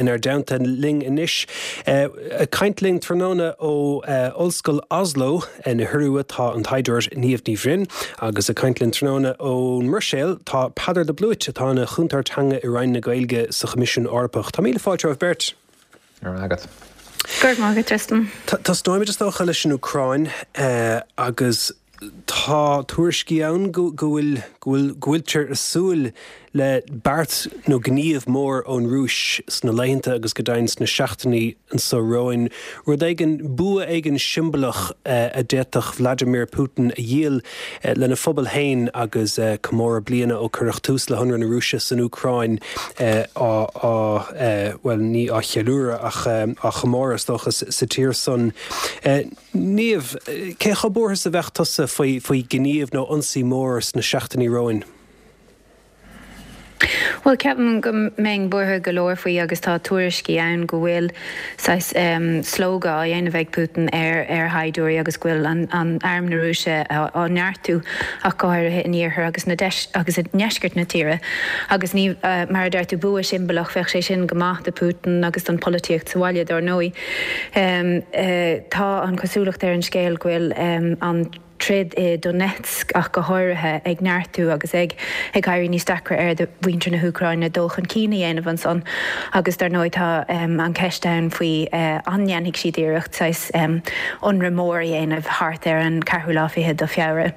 inár dteannta linn anois. Ag caint linn tráthnóna ó Ollscoil Oslo na hIorua tá an taighdeoir Niamh Ní Bhroin agus ag caint linn tráthnóna ón mBruiséil tá Peadar de Blúit atá ina chúntóir teanga i Roinn na Gaeilge sa Choimisiún Eorpach. Tá míle fáilte romhaibh beirt. Go raibh maith agat. Go raibh maith agat, Tristan. Tosnóimid is dócha leis an Úcráin agus tá tuairiscí ann go bhfuil go bhfuil go bhfuiltear ag súil le beart nó gníomh mór ón Rúis sna laethanta agus go deimhin sna seachtainí anseo romhainn, rud éigin, bua éigin siombalach a d'fhéadfadh Vladimir Putin a dhíol lena phobal féin agus comóradh bliana ó cuireadh tús le hionradh na Rúise san Úcráin á, á, bhuel, ní á cheiliúradh ach á chomóradh is dócha sa tír san. Niamh, cé chomh buartha is a bheadh tusa faoi, faoi ghníomh nó ionsaí mór sna seachtainí romhainn? Bhuel, ceapaim go mbeinn buartha go leor faoi agus tá tuairiscí ann go bhfuil saghas slógadh á dhéanamh ag Putin ar ar shaighdiúirí agus go bhfuil an an arm na Rúise á neartú ach go háirithe in iarthar agus na deis agus i ndeisceart na tíre. Agus ní mar a deir tú bua siombalach bheadh sé sin go maith do Putin agus don pholaitíocht sa bhaile dar ndóigh. Tá an chosúlacht ar an scéal go bhfuil an troid i Donetsk ach go háirithe, ag neartú agus ag ag éirí níos deacra ar do mhuintir na hÚcráine dul chun cinn a dhéanamh ansan agus dar ndóigh tá an cheist ann faoi an ndéanfaidh siad iarracht saghas ionradh mór a dhéanamh thart ar an ceathrú lá fichead de Feabhra.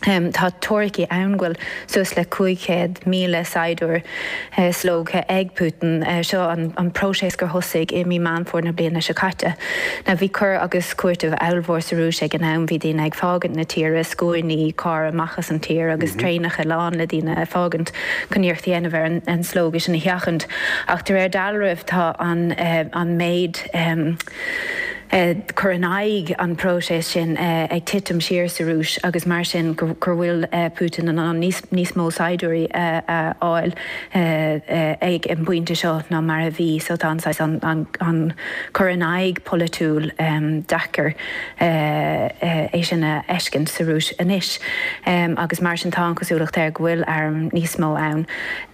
Tá teoiricí ann go bhfuil suas le cúig chéad míle saighdiúir slógtha ag Putin. Seo an próiseas gur thosaigh i mí Meán Fómhair na bliana seo caite. Now bhí cur agus cúiteamh ollmhór sa Rúis ag an am, bhí daoine ag fágaint na tíre, scuainí carr amach as an tír agus traenacha lán le daoine ag fágaint chun iarracht a dhéanamh ar an slógadh sin a sheachaint. Ach de réir dealraimh tá an méid cur in aghaidh an próiseas sin ag titim siar sa Rúis agus mar sin gur bhfuil Putin in ann níos mó saighdiúirí a fháil ag an bpointe seo ná mar a bhí. So tá an saghas an cur in aghaidh polaitiúil deacair é sin a fheiscint sa Rúis anois agus mar sin tá an chosúlacht air go bhfuil arm níos mó ann.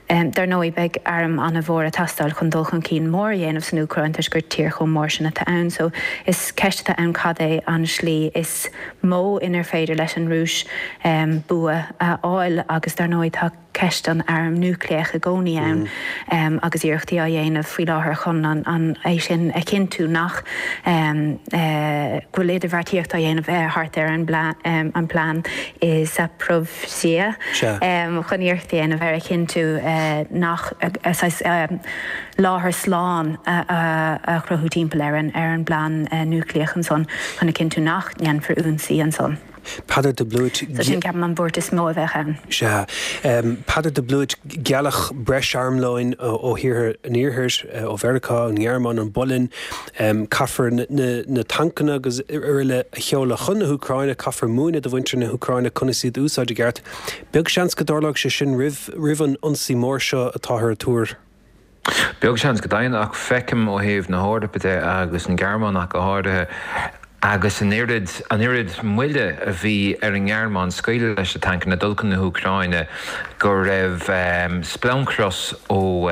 Dar ndóigh, beidh arm an-mhór ag teastáil chun dul chun cinn mór a dhéanamh san Úcráin toisc gur tír chomh mór sin atá ann. So is ceist atá ann cad é an slí is mó inar féidir leis an Rúis bua a fháil agus dar ndóigh tá ceist an airm núicléach i gcónaí ann agus iarrachtaí á dhéanamh faoi láthair chun an é sin a chinntiú nach go bhfuil idirbheartaíocht á dhéanamh thart ar an bplean i Zaporizhzhia chun iarracht a dhéanamh ar a chinntiú nach saghas láthair slán a chruthú timpeall ar an ar an bplean núicléach ansan chun a chinntiú nach ndéanfar ionsaí ansan. Peadar de Blúit. So sin ceapaim an bhuairt is mó a bheadh ann. Sea. Peadar de Blúit, gealladh breis armlóin ó thíortha an Iarthair, ó Mheiriceá, an Ghearmáin, an Pholainn. Caithfear na tancanna agus araile a sheoladh chun na hÚcráine, caithfear múineadh do mhuintir na hÚcráine conas iad a úsáid i gceart. Beag seans go dtarlóidh sé sin roimh an ionsaí mór seo atáthar a tuar. Beag seans go deimhin, ach feicim ó thaobh na hEorpa de agus an Ghearmáin ach go háirithe, agus an oiread, an oiread moille a bhí ar an nGearmáin scaoileadh leis na tancanna dul chun na hÚcráine go raibh splancchros ó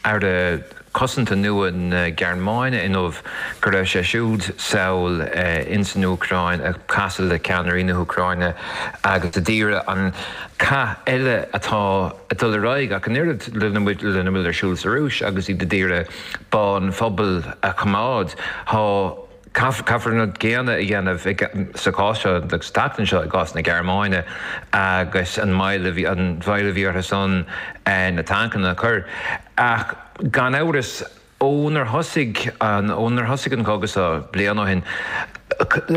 Aire Cosanta nua na Gearmáine inniu go raibh sé siúd sall ins an Úcráin ag casadh le ceannairí na hÚcráine agus a d'iarraidh an cath eile atá ag dul ar aghaidh ach an oiread lena bhfuil ar siúl sa Rúis agus iad a d'iarraidh bá an phobail a choimeád. Tá Caithfear an rud céanna a dhéanamh sa chás seo agus sa tseachtain seo i gcás na Gearmáine agus an mhoill a bhí an mhoill a bhí orthu san na tancanna a chur. Ach gan amhras ónar thosaigh an ónar thosaigh an cogadh seo bliain ó shin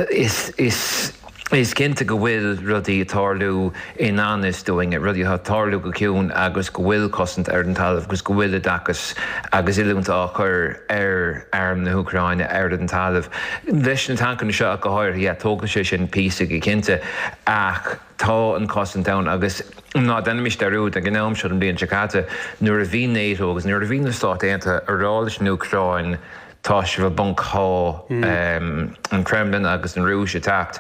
is is Is cinnte go bhfuil rudaí ag tarlú i ngan fhios dúinn, rudaí atá ag tarlú go ciúin agus go bhfuil cosaint ar an talamh agus go bhfuil oideachas agus oiliúint á chur ar arm na hÚcráine ar an talamh. Leis na tancanna seo ach go háirithe, yeah, tógfaidh sé sin píosa go cinnte ach tá an chosaint ann agus ná déanaimis dearúd ag an am seo den bhliain seo caite nuair a bhí NATO agus nuair a bhí na Stáit Aontaithe ag rá leis an Úcráin, Tá sibh i bponc, tá an Kremlin agus an Rúis ag teacht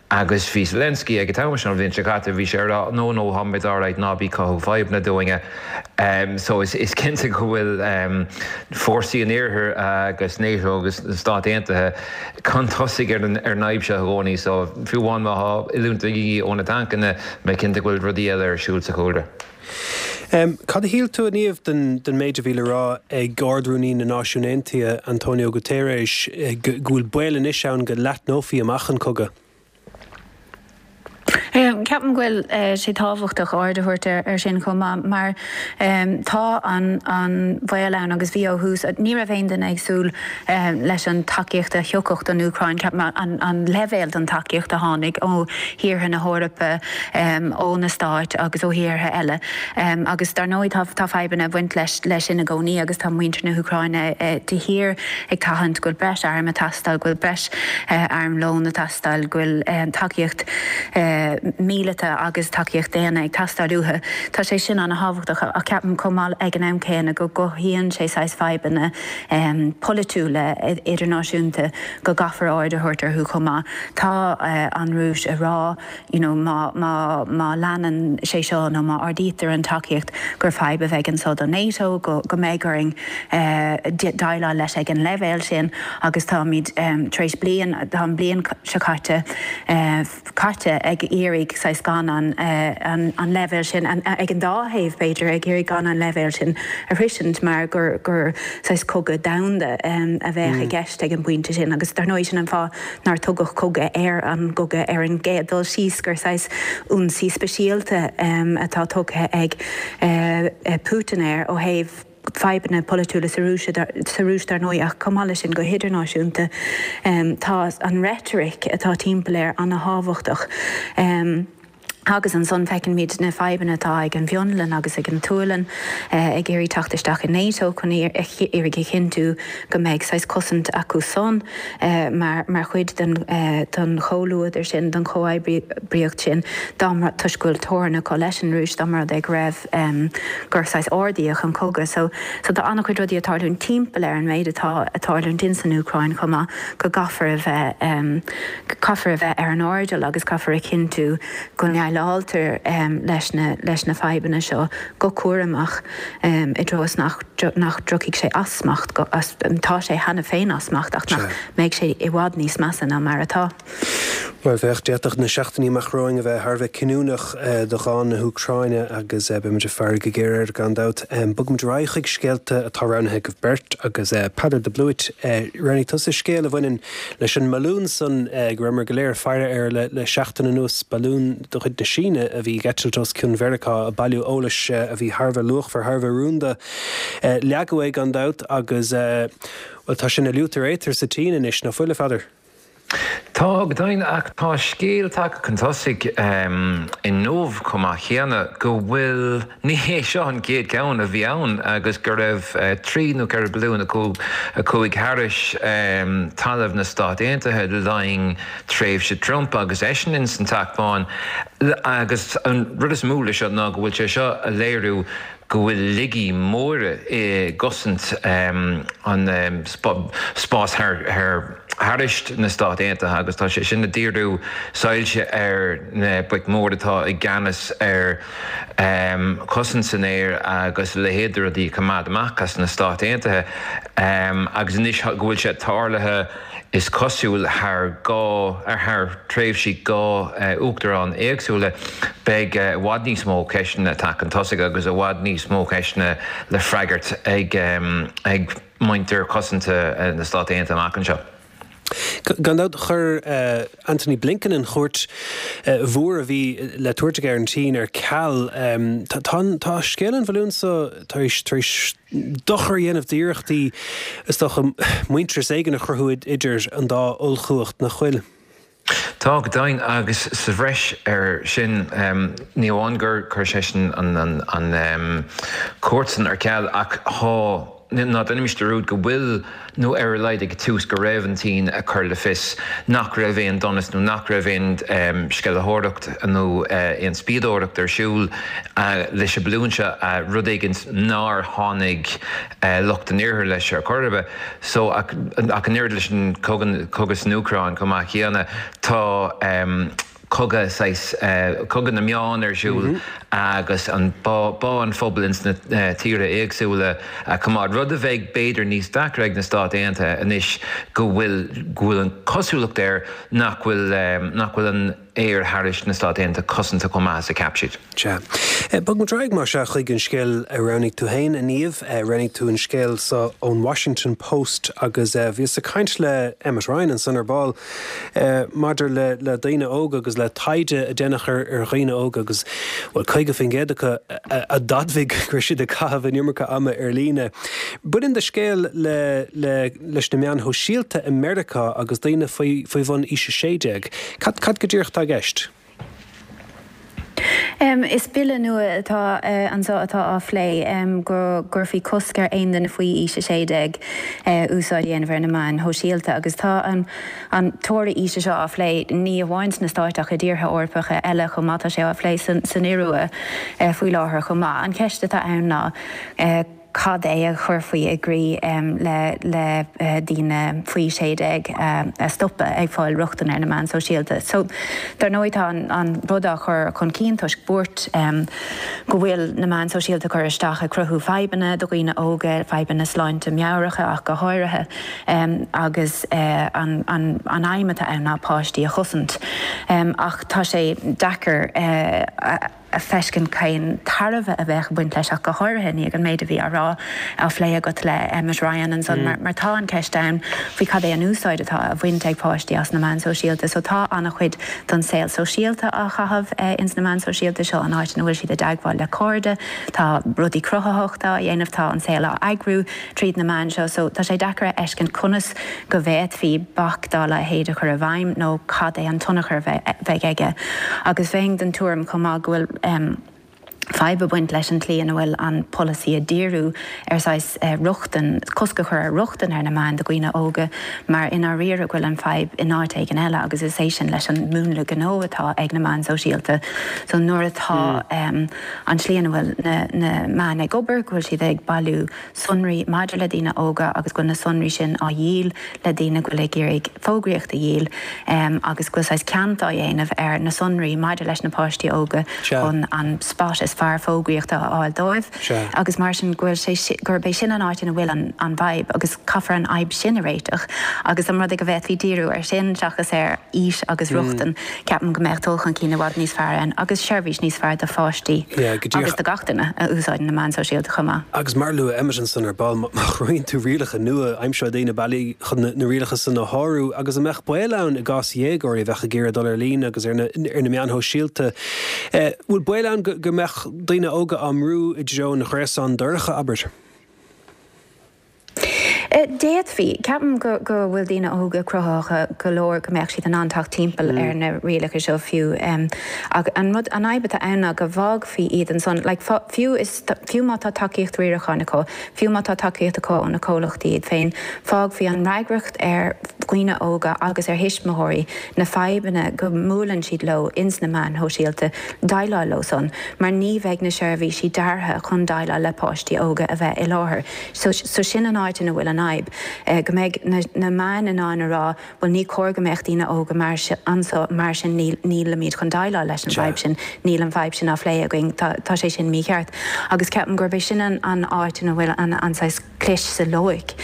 agus bhí Zelensky ag an t-am sin an bhliain seo caite, bhí sé ag rá no no táimid alright ná bí ag cothú fadhbanna dúinne. So is cinnte go bhfuil fórsaí an Iarthair agus NATO agus na Stáit Aontaithe chun tosaigh ar an fhadhb seo i gcónaí so fiú amháin má tá oiliúint de dhíth ó na tancanna, mé cinnte go bhfuil rudaí eile ar siúl sa chúlra. Cad a shíl tú, a Niamh, den méid a bhí le rá ag Ard-Rúnaí na Náisiún Aontaithe, António Guterres, go bhfuil baol anois ann go leathnófaí amach an cogadh? Ceapaim go bhfuil sé tábhachtach aird a thabhairt air sin chomh maith mar tá an baol ann agus bhí ó thús. Ní raibh aon duine ag súil leis an tacaíocht a thiocfadh don Úcráin, ceapaim, an leibhéal den tacaíocht a tháinig ó thíortha na hEorpa, ó na Stáit agus ó thíortha eile. Agus dar ndóigh tá tá fadhbanna ag baint leis leis sin i gcónaí agus tá muintir na hÚcráine de shíor ag tathant go bhfuil breis airm ag teastáil, go bhfuil breis armlóin ag teastáil, go bhfuil tacaíocht míleata agus tacaíocht daonna ag teastáil uathu. Tá sé sin an-thábhachtach ach ceapaim chomh maith ag an am céanna go gcothaíonn sé saghas fadhbanna polaitiúla idirnáisiúnta go gcaithfear aird a thabhairt orthu chomh maith. Tá an Rúis ag rá you know má má má leanann sé seo nó má ardaítear an tacaíocht gur fadhb a bheidh anso do NATO, go go mbeidh orainn déileáil leis ag an leibhéal sin agus táimid tar éis bliain, tá an bliain seo caite caite ag iarraidh saghas gan an an an leibhéal sin ag an dá thaobh b'fhéidir ag iarraidh gan an leibhéal sin a shroisint mar gur gur saghas cogadh domhanda a bheadh i gceist ag an bpointe sin agus dar ndóigh sin an fáth nár tugadh cogadh ar an gcogadh ar an gcéad dul síos gur saghas ionsaí speisialta atá tugtha ag Putin air ó thaobh fadhbanna polaitiúla sa Rúis sa Rúis dar ndóigh ach chomh maith leis sin go hidirnáisiúnta tá an reitric atá timpeall air an-thábhachtach. Agus ansan feicimid na fadhbanna atá ag an bhFionlainn agus ag an tSualainn ag iarraidh teacht isteach i NATO chun iarraidh a chinntiú go mbeidh saghas cosaint acu san mar mar chuid den den chomhluadar sin, den chomhoibríocht sin dá mba toisc go bhfuil teorainn acu leis an Rúis dá mba rud é go raibh gur saghas ardaíodh an cogadh. So so tá an-chuid rudaí ag tarlúint timpeall ar an méid atá ag tarlúint in san Úcráin chomh maith go gcaithfear a bheith caithfear a bheith ar an airdeall agus caithfear a chinntiú go ndéileáiltear leis na leis na fadhbanna seo go cúramach i dtreo is nach nach dtiocfaidh sé as smacht go as tá sé cheana féin as smacht ach nach mbeidh sé i bhfad níos measa ná mar atá. Bhuel, féach, d'fhéadfadh na seachtainí amach romhainn a bheith thar a bheith cinniúnach do dhán na hÚcráine agus beimid ag faire go géar air gan dabht. Bogfaimid ar aghaidh chuig scéalta atá roghnaithe agaibh beirt agus Peadar de Blúit, roghnaigh tusa scéal a bhaineann leis an mbalún san go rabhamar go léir ag faire air le seachtain anuas, balún de chuid na Síne a bhí ag eitilt os cionn Mheiriceá ag bailiú eolais a bhí thar a bheith luachmhar, thar a bheith rúnda. Leagadh é gan dabht agus, bhuel, tá sé ina liútar éatair sa tSín anois, nach bhfuil, a Pheadair? Tá, go deimhin, ach tá scéal tagtha chun tosaigh inniu chomh maith céanna go bhfuil, ní hé seo an chéad cheann a bhí ann agus go raibh trí nó ceithre balún a chuaigh thairis talamh na Stát Aontaithe le linn tréimhse Trump agus eisean ins an Teach Bán. Agus an rud is mó leis seo ná go bhfuil sé seo a léiriú go bhfuil laigí móra i gcosaint an spás thairis na Stát Aontaithe agus tá sé sin ag díriú soilse ar na boic mhóra atá i gceannas ar chosaint san aer agus a leithéid de rudaí a choimeád amach as na Stáit Aontaithe agus anois go bhfuil sé tarlaithe Is cosúil thar dhá, thar tréimhsí dhá uachtarán éagsúla, beidh i bhfad níos mó ceisteanna ag teacht chun tosaigh agus i bhfad níos mó ceisteanna le freagairt ag ag muintir cosanta na Stát Aontaithe amach anseo. Gan dabht, chuir Antony Blinken an chuairt mhór a bhí le tabhairt aige ar an tSín ar ceal. Tá tá scéal an bhalúin seo tar éis tar éis dochar a dhéanamh d'iarrachtaí, is dócha, muintearas éigin a chruthú idir an dá ollchumhacht, nach bhfuil? Tá, go deimhin, agus sa bhreis air sin, ní amháin gur chuir seisean an chuairt san ar ceal, ach tá, ná déanaimis dearúd go bhfuil, nó ar a laghad ag tús go raibh an tSín ag cur le fios nach raibh aon donas nó nach raibh aon sceimhlitheoireacht nó aon spiadóireacht ar siúl leis an balún seo, rud éigin nár tháinig lucht an Iarthair leis ar chor ar bith. So, ach an oiread leis an cogadh san Úcráin chomh maith céanna, tá cogadh saghas, cogadh na meán ar siúl agus an bá an phobail ins na tíortha éagsúla a choimeád, rud a bheidh b'fhéidir níos deacra ag na Stáit Aontaithe anois go bhfuil go bhfuil an chosúlacht air nach bhfuil nach bhfuil an aer thairis na Stáit Aontaithe cosanta chomh maith is a cheap siad. Sea. Bogfaimid ar aghaidh mar sea chuig an scéal a roghnaigh tú féin, a Niamh. Roghnaigh tú an scéal seo ón Washington Post agus bhíos ag caint le Emmet Ryan ansan ar ball maidir le le daoine óga agus le taighde a déanadh ar ar dhaoine óga agus, bhuel, caoga faoin gcéad acu a d'admhaigh go raibh siad ag caitheamh an iomarca ama ar líne. Baineann do scéal le le leis na meáin shóisialta i Meiriceá agus daoine faoi faoi bhun aois a sé déag. Cad cad go díreach atá i gceist? Is bille nua atá anseo atá á phlé go gcuirfí cosc ar aon duine faoi aois a sé déag úsáid a dhéanamh ar na meáin shóisialta agus tá an an teora aoise seo á phlé ní amháin sna Stáit ach i dtíortha Eorpacha eile chomh maith. Tá sé á phlé san Iorua faoi láthair chomh maith. An cheist atá ann ná cad é a chuirfí i gcrích le le daoine faoi sé déag a stopadh ag fáil rochtain ar na meáin sóisialta. So dar ndóigh tá an an rud á chur chun cinn toisc buairt go bhfuil na meáin sóisialta cur isteach ag cruthú fadhbanna do dhaoine óga, fadhbanna sláinte meabhracha ach go háirithe agus an an an aidhm atá ann ná páistí a chosaint. Ach tá sé deacair a a fheiscint cén tairbhe a bheadh ag baint leis ach go háirithe i ndiaidh an méid a bhí á rá, á phlé agat le Emmet Ryan ansan mar mar tá an ceist ann faoi cad é an úsáid atá á bhaint ag páistí as na meáin sóisialta. So tá an-chuid don saol sóisialta á chaitheamh ins na meáin sóisialta seo, an áit ina bhfuil siad i dteagmháil le cairde, tá rudaí cruthaitheachta á dhéanamh, tá an saol á eagrú tríd na meáin seo. So tá sé deacair a fheiscint conas go bhféadfaí bac dá leithéid a chur i bhfeidhm nó cad é an tionchar a bheidh aige. Agus bheinn den tuairim chomh maith go bhfuil fadhb ag baint leis an tslí ina bhfuil an polasaí ag díriú ar saghas rochtain, cosc a chur ar rochtain ar na meáin do dhaoine óga mar i ndáiríre go bhfuil an fadhb in áit éigin eile agus is é sin leis an múnla gnó atá ag na meáin sóisialta. So nuair atá an tslí ina bhfuil na na meáin ag obair, go bhfuil siad ag bailiú sonraí maidir le daoine óga agus go bhfuil na sonraí sin á dhíol le daoine go bhfuil ag iarraidh fógraíocht a dhíol agus go bhfuil saghas ceant á dhéanamh ar na sonraí maidir leis na páistí óga chun an spot is fearr fógraíochta a fháil dóibh agus mar sin go bhfuil sé gurb é sin an áit ina bhfuil an an fhadhb agus caithfear an fhadhb sin a réiteach agus an rud é go bhféadfaí díriú ar sin seachas ar aois agus rochtain ceapaim go mbeadh dul chun cinn i bhfad níos fearr ann agus seirbhís níos fearr do pháistí agus do gach duine a úsáideann na meáin sóisialta chomh maith. Agus mar a luaigh Emmet ansan ar ball, má chruthaíonn tú rialacha nua, aimseoidh daoine bealaí chun na rialacha san a shárú. Agus an mbeadh baol ann i gcás dhéagóirí a bheadh ag iarraidh dul ar líne agus ar na meáin shóisialta, bhfuil baol ann go mbeadh daoine óga á mbrú i dtreo an ghréasáin dorcha, abair? D'fhéadfaí. Ceapaim go go bhfuil daoine óga cruthaitheach go leor go mbeadh siad in ann teacht timpeall ar na rialacha seo fiú. Ach an rud, an fhadhb atá ann ná go bhfágfaí iad ansan, like fiú is, fiú má tá tacaíocht riaracháin acu, fiú má tá tacaíocht acu ó na comhlachtaí iad féin, fágfaí an fhreagracht ar dhaoine óga agus ar thuismitheoirí na fadhbanna go mbuaileann siad leo ins na meáin shóisialta, déileáil leo san, mar ní bheidh na seirbhísí deartha chun déileáil le páistí óga a bheith i láthair. So, so sin an áit ina bhfuil an fhadhb, go mbeidh na, na meáin in ann a rá, bhuel ní cóir go mbeadh daoine óga mar anso, mar sin níl, nílimid chun déileáil leis an bhfadhb sin, níl an fhadhb sin á phlé againn, tá, tá sé sin mícheart. Agus ceapaim gurb é sin an, an áit ina bhfuil an, an saghas clis sa loighic,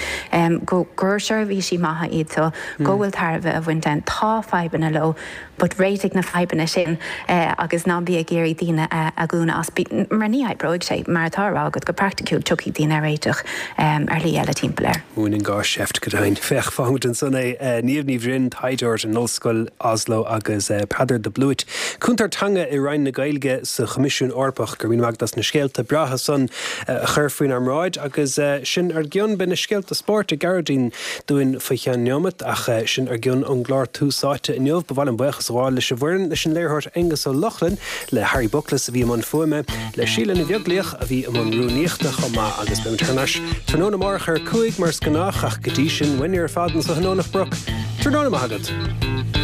go, gur seirbhísí maithe iad so, go bhfuil tairbhe a bhaint ann, tá fadhbanna leo, but réitigh na fadhbanna sin agus ná bí ag iarraidh daoine a dhúnadh as, mar ní oibreoidh sé, mar atá á rá agat, go praiticiúil tiocfaidh daoine ar réiteach ar shlí eile timpeall air. Múineann gá seift go deimhin. Féach, fágfaimid ansan é. Niamh Ní Bhroin, taighdeoir in Ollscoil Oslo agus Peadar de Blúit, cúntóir teanga i Roinn na Gaeilge sa Choimisiún Eorpach. Go raibh míle maith agat as na scéalta breátha san a chur faoinár mbráid agus sin ár gcionn. Beidh na scéalta spóirt ag Gearóidín dúinn faoi cheann neomat ach sin ár gcionn ón gclár Tús Áite inniu. Ba mhaith liom buíochas a ghabháil leis an bhfoireann, leis an léiritheoir Aengus Ó Lochlainn, le Harry Buckles a bhí i mbun fuaime, le Síle Ní Bheaglaoich a bhí i mbun rúnaíochta chomh maith agus beimid thar n-ais tráthnóna amárach ar a cúig mar is gnách ach go dtí sin, uainne ar fad anso i nDomhnach Broc, tráthnóna maith agat.